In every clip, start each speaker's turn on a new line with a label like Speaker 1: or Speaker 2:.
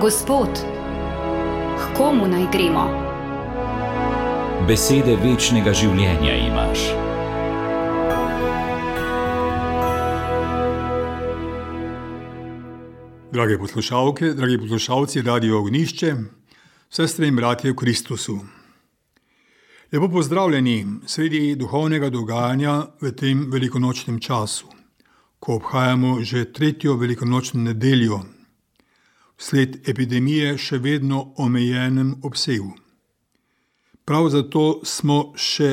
Speaker 1: Gospod, k komu naj gremo?
Speaker 2: Besede večnega življenja imaš.
Speaker 3: Drage poslušalke, dragi poslušalci Radio Ognišče, sestre in bratje v Kristusu. Lepo pozdravljeni sredi duhovnega dogajanja v tem velikonočnem času, ko obhajamo že 3. velikonočno nedeljo, vsled epidemije še vedno omejenem obsegu. Prav zato smo še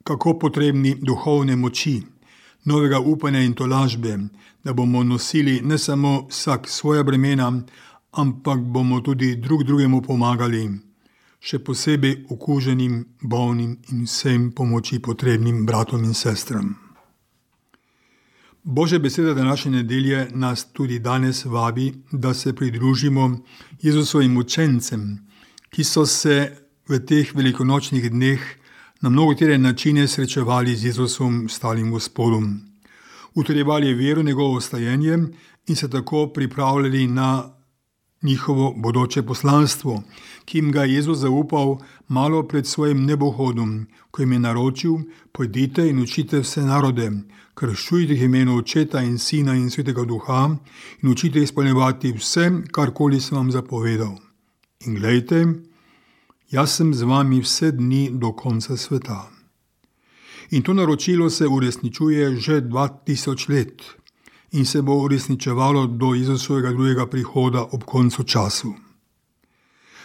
Speaker 3: kako potrebni duhovne moči, novega upanja in tolažbe, da bomo nosili ne samo vsak svoja bremena, ampak bomo tudi drug drugemu pomagali, še posebej okuženim, bolnim in vsem pomoči potrebnim bratom in sestram. Božja beseda današnje nedelje nas tudi danes vabi, da se pridružimo Jezusovim učencem, ki so se v teh velikonočnih dneh na mnogotere načine srečevali z Jezusom, stalim Gospodom. Utrjevali vero, njegovo stajenje in se tako pripravljali na njihovo bodoče poslanstvo, ki jim ga je Jezus zaupal malo pred svojim nebohodom, ko jim je naročil: pojdite in učite vse narode, krščujte jih v imenu Očeta in Sina in Svetega Duha in učite izpolnjevati vse, karkoli sem vam zapovedal. In glejte, jaz sem z vami vse dni do konca sveta. In to naročilo se uresničuje že 2000 let in se bo uresničevalo do Jezusovega drugega prihoda ob koncu času.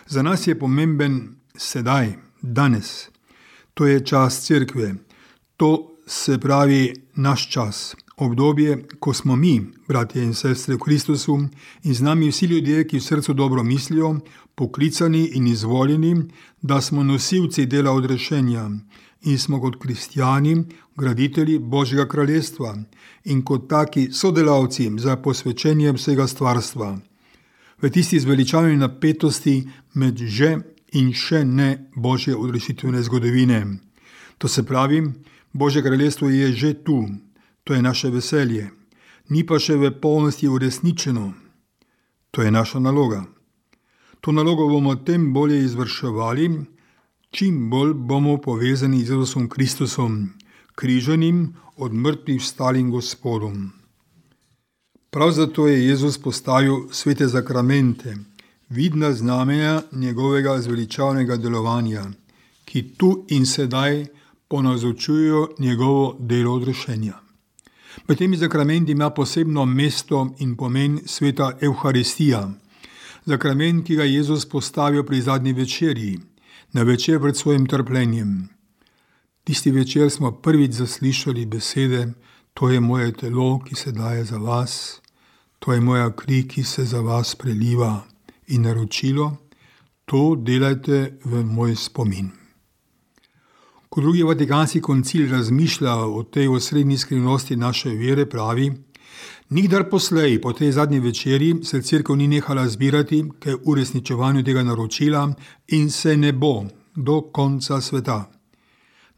Speaker 3: Za nas je pomemben sedaj, danes. To je čas cerkve. To se pravi naš čas, obdobje, ko smo mi, bratje in sestre v Kristusu, in z nami vsi ljudje, ki v srcu dobro mislijo, poklicani in izvoljeni, da smo nosilci dela odrešenja in smo kot kristjani graditelji Božjega kraljestva in kot taki sodelavci za posvečenje vsega stvarstva. V tisti zveličavni napetosti med že in še ne Božje odrešitvene zgodovine. To se pravi, Božje kraljestvo je že tu, to je naše veselje, ni pa še v polnosti uresničeno. To je naša naloga. To nalogo bomo tem bolje izvrševali, čim bolj bomo povezani z Jezusom Kristusom, križanim, od mrtvih vstalim Gospodom. Prav zato je Jezus postavil svete zakramente, vidna znamenja njegovega zveličavnega delovanja, ki tu in sedaj ponazorčujejo njegovo delo odrešenja. Med temi zakramenti ima posebno mesto in pomen sveta Evharistija, zakrament, ki ga je Jezus postavil pri zadnji večerji, na večer pred svojim trpljenjem. Tisti večer smo prvič zaslišali besede: to je moje telo, ki se daje za vas, to je moja kri, ki se za vas preliva, in naročilo: to delajte v moj spomin. Ko drugi Vatikanski koncil razmišlja o tej osrednji skrivnosti naše vere, pravi: nikdar poslej po tej zadnji večeri se cerkev ni nehala zbirati k uresničevanju tega naročila in se ne bo do konca sveta.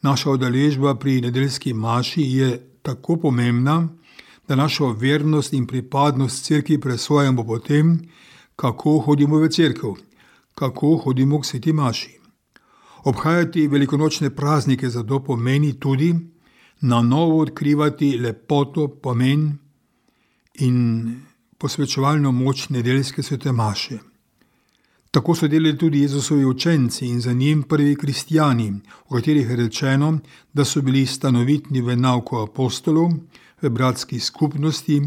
Speaker 3: Naša udeležba pri nedeljski maši je tako pomembna, da našo vernost in pripadnost cerkvi presojamo po tem, kako hodimo v cerkev, kako hodimo k sveti maši. Obhajati velikonočne praznike zato pomeni tudi na novo odkrivati lepoto, pomen in posvečevalno moč nedeljske svete maše. Tako so delali tudi Jezusovi učenci in za njim prvi kristjani, o katerih je rečeno, da so bili stanovitni v nauku apostolov, v bratski skupnosti,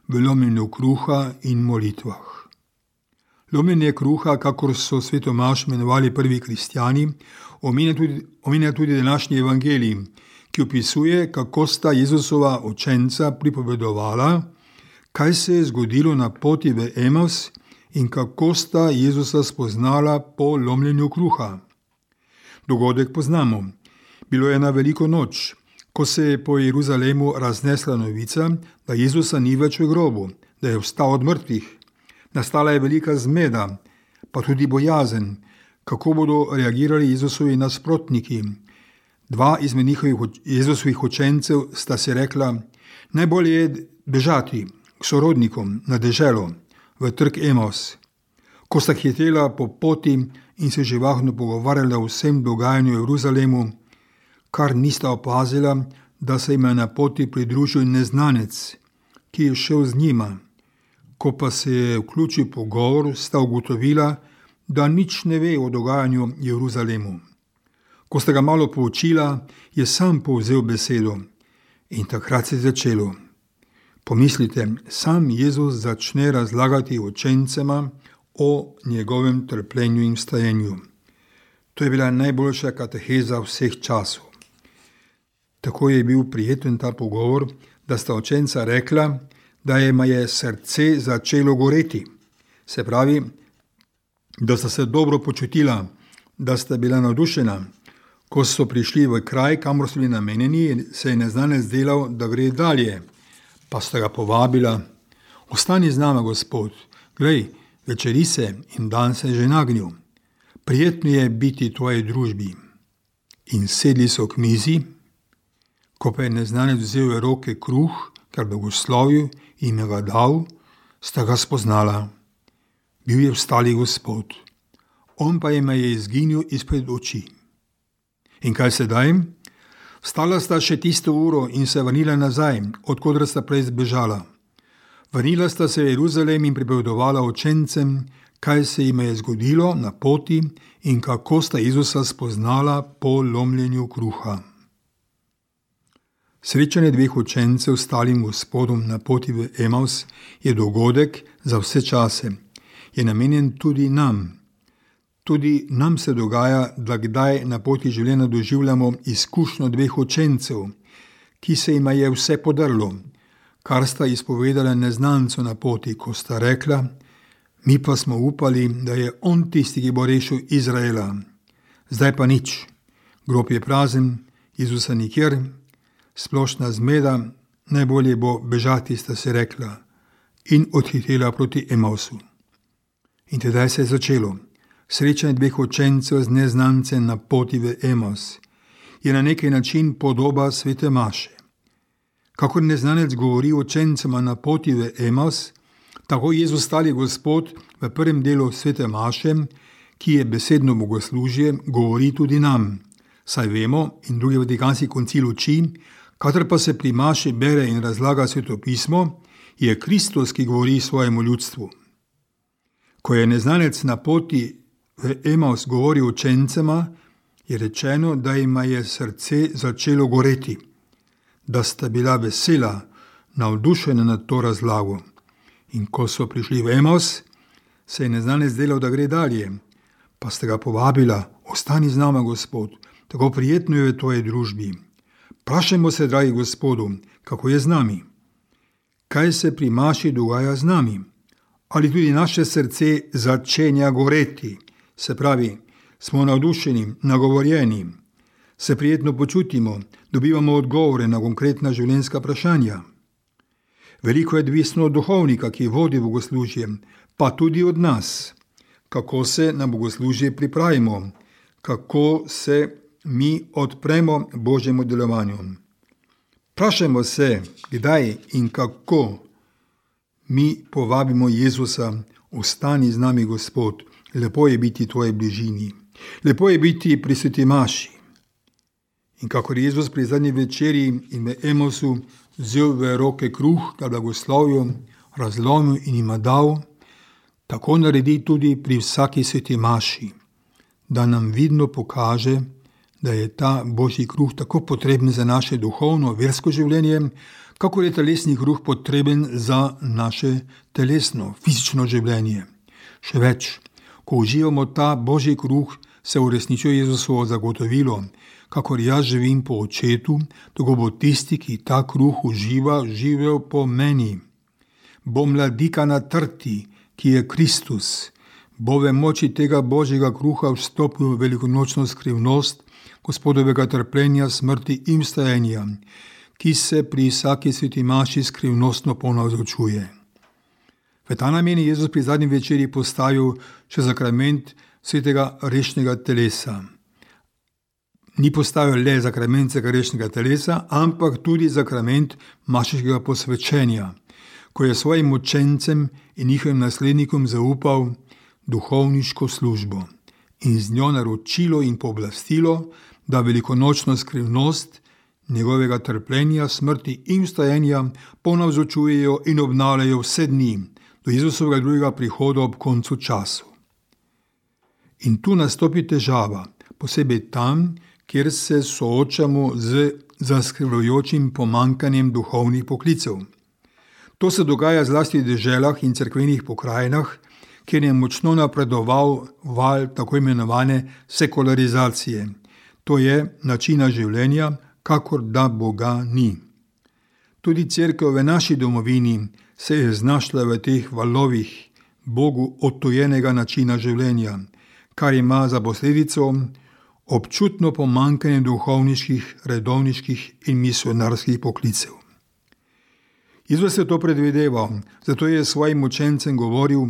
Speaker 3: v lomljenju kruha in molitvah. Lomljenje kruha, kakor so sveto mašo imenovali prvi kristjani, omenja tudi današnji evangelij, ki opisuje, kako sta Jezusova učenca pripovedovala, kaj se je zgodilo na poti v Emaus in kako sta Jezusa spoznala po lomljenju kruha. Dogodek poznamo. Bilo je na veliko noč, ko se je po Jeruzalemu raznesla novica, da Jezusa ni več v grobu, da je vstal od mrtvih. Nastala je velika zmeda, pa tudi bojazen, kako bodo reagirali Jezusovi nasprotniki. Dva izmed Jezusovih učencev sta si rekla: najbolje je bežati k sorodnikom na deželo, v trg Emaus. Ko sta hitela po poti in se živahno pogovarjala o vsem dogajanju v Jeruzalemu, kar nista opazila, da se jim je na poti pridružil neznanec, ki je šel z njima. Ko pa se je vključil pogovor, sta ugotovila, da nič ne ve o dogajanju v Jeruzalemu. Ko sta ga malo poučila, je sam povzel besedo in takrat se je začelo. Pomislite, sam Jezus začne razlagati učencema o njegovem trpljenju in vstajenju. To je bila najboljša kateheza vseh časov. Tako je bil prijeten ta pogovor, da sta učenca rekla, da jima je srce začelo goreti. Se pravi, da sta se dobro počutila, da sta bila navdušena. Ko so prišli v kraj, kamor so bili namenjeni, se je neznanec delal, da gre dalje. Pa sta ga povabila: ostani z nama, Gospod, glej, večeri se in dan se je že nagnil. Prijetno je biti v tvoji družbi. In sedli so k mizi. Ko pa je neznanec vzel v roke kruh, kar blagoslovil in jim ga dal, sta ga spoznala. Bil je vstali Gospod, on pa jim je izginil izpred oči. In kaj sedaj? Vstala sta še tisto uro in se vrnila nazaj, odkudar sta prej zbežala. Vrnila sta se v Jeruzalem in pripovedovala učencem, kaj se jim je zgodilo na poti in kako sta Jezusa spoznala po lomljenju kruha. Srečanje dveh učencev s stalim Gospodom na poti v Emaus je dogodek za vse čase. Je namenjen tudi nam. Tudi nam se dogaja, da kdaj na poti življenja doživljamo izkušnjo dveh učencev, ki se jima je vse podrlo, kar sta izpovedala neznancu na poti, ko sta rekla: mi pa smo upali, da je on tisti, ki bo rešil Izraela. Zdaj pa nič. Grob je prazen, Jezusa nikjer, splošna zmeda, najbolje bo bežati, sta se rekla, in odhitela proti Emausu. In tedaj se je začelo. Srečanje dveh učencev z neznancem na poti v Emaus je na neki način podoba svete maše. Kakor neznanec govori učencema na poti v Emaus, tako Jezus stali Gospod v prvem delu svete maše, ki je besedno bogoslužje, govori tudi nam. Saj vemo, in drugi vatikanski koncil uči, kadar pa se pri maši bere in razlaga sveto pismo, je Kristus, ki govori svojemu ljudstvu. Ko je neznanec na poti v Emaus govoril učencema, je rečeno, da jima je srce začelo goreti, da sta bila vesela, navdušena nad to razlago. In ko so prišli v Emaus, se je neznanec delal, da gre dalje, pa sta ga povabila: ostani z nama, Gospod, tako prijetno je v tvoji družbi. Vprašajmo se, dragi Gospodu, kako je z nami? Kaj se pri maši dogaja z nami? Ali tudi naše srce začenja goreti? Se pravi, smo navdušeni, nagovorjeni, se prijetno počutimo, dobivamo odgovore na konkretna življenjska vprašanja. Veliko je odvisno od duhovnika, ki vodi bogoslužje, pa tudi od nas. Kako se na bogoslužje pripravimo, kako se mi odpremo Božjemu delovanju. Vprašajmo se, kdaj in kako mi povabimo Jezusa: ostani z nami, Gospod, lepo je biti v tvoji bližini, lepo je biti pri sveti maši. In kakor Jezus pri zadnji večeri in v Emausu vzel v roke kruh, ga blagoslovil, razlomil in jima dal, tako naredi tudi pri vsaki sveti maši, da nam vidno pokaže, da je ta Božji kruh tako potreben za naše duhovno, versko življenje, kakor je telesni kruh potreben za naše telesno, fizično življenje. Še več, ko uživamo ta Božji kruh, se uresničuje Jezusovo zagotovilo: kakor jaz živim po Očetu, tako bo tisti, ki ta kruh uživa, živel po meni. Bo mladika na trti, ki je Kristus, bo v moči tega Božjega kruha vstopil v velikonočno skrivnost Gospodovega trpljenja, smrti in vstajenja, ki se pri vsaki sveti maši skrivnostno ponavzočuje. V ta namen je Jezus pri zadnji večeri postavil še sakrament svetega rešnega telesa. Ni postavil le sakrament svetega rešnega telesa, ampak tudi sakrament mašeškega posvečenja, ko je svojim učencem in njihovim naslednikom zaupal, duhovniško službo in z njo naročilo in pooblastilo, da velikonočno skrivnost njegovega trpljenja, smrti in vstajenja ponavzočujejo in obnavljajo vse dni do Jezusovega drugega prihoda ob koncu času. In tu nastopi težava, posebej tam, kjer se soočamo z zaskrbljujočim pomanjkanjem duhovnih poklicev. To se dogaja zlasti v deželah in cerkvenih pokrajinah, kjer je močno napredoval val tako imenovane sekularizacije. To je načina življenja, kakor da Boga ni. Tudi cerkev v naši domovini se je znašla v teh valovih Bogu odtujenega načina življenja, kar ima za posledico občutno pomanjkanje duhovniških, redovniških in misionarskih poklicev. Jezus je to predvideval, zato je svojim učencem govoril: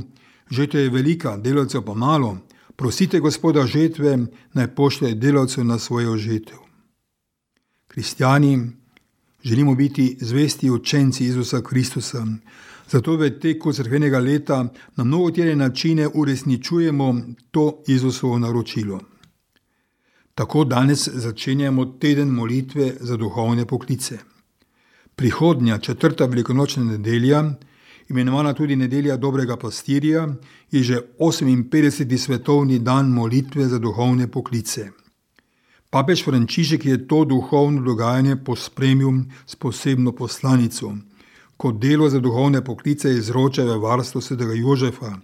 Speaker 3: žetva je velika, delavcev pa malo, prosite Gospoda žetve, naj pošlje delavcev na svojo žetev. Kristjani želimo biti zvesti učenci Jezusa Kristusa, zato v teku cerkvenega leta na mnogotere načine uresničujemo to Jezusovo naročilo. Tako danes začenjamo teden molitve za duhovne poklice. Prihodnja 4. velikonočna nedelja, imenovana tudi nedelja dobrega pastirja, je že 58. svetovni dan molitve za duhovne poklice. Papež Frančišek je to duhovno dogajanje pospremil s posebno poslanico, kot delo za duhovne poklice izroča v varstvo svetega Jožefa,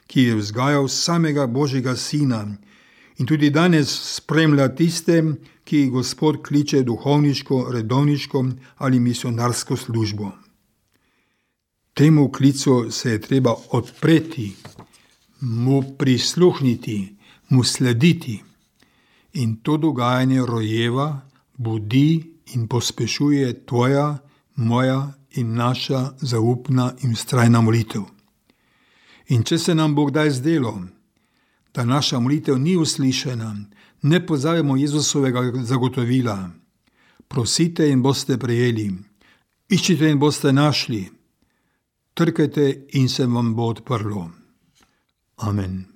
Speaker 3: ki je vzgajal samega Božjega sina in tudi danes spremlja tiste, ki jih Gospod kliče duhovniško, redovniško ali misionarsko službo. Temu klicu se je treba odpreti, mu prisluhniti, mu slediti. In to dogajanje rojeva, budi in pospešuje tvoja, moja in naša zaupna in vztrajna molitev. In če se nam bo kdaj zdelo, da naša molitev ni uslišena, ne pozabimo Jezusovega zagotovila: prosite in boste prejeli, iščite in boste našli, trkajte in se vam bo odprlo. Amen.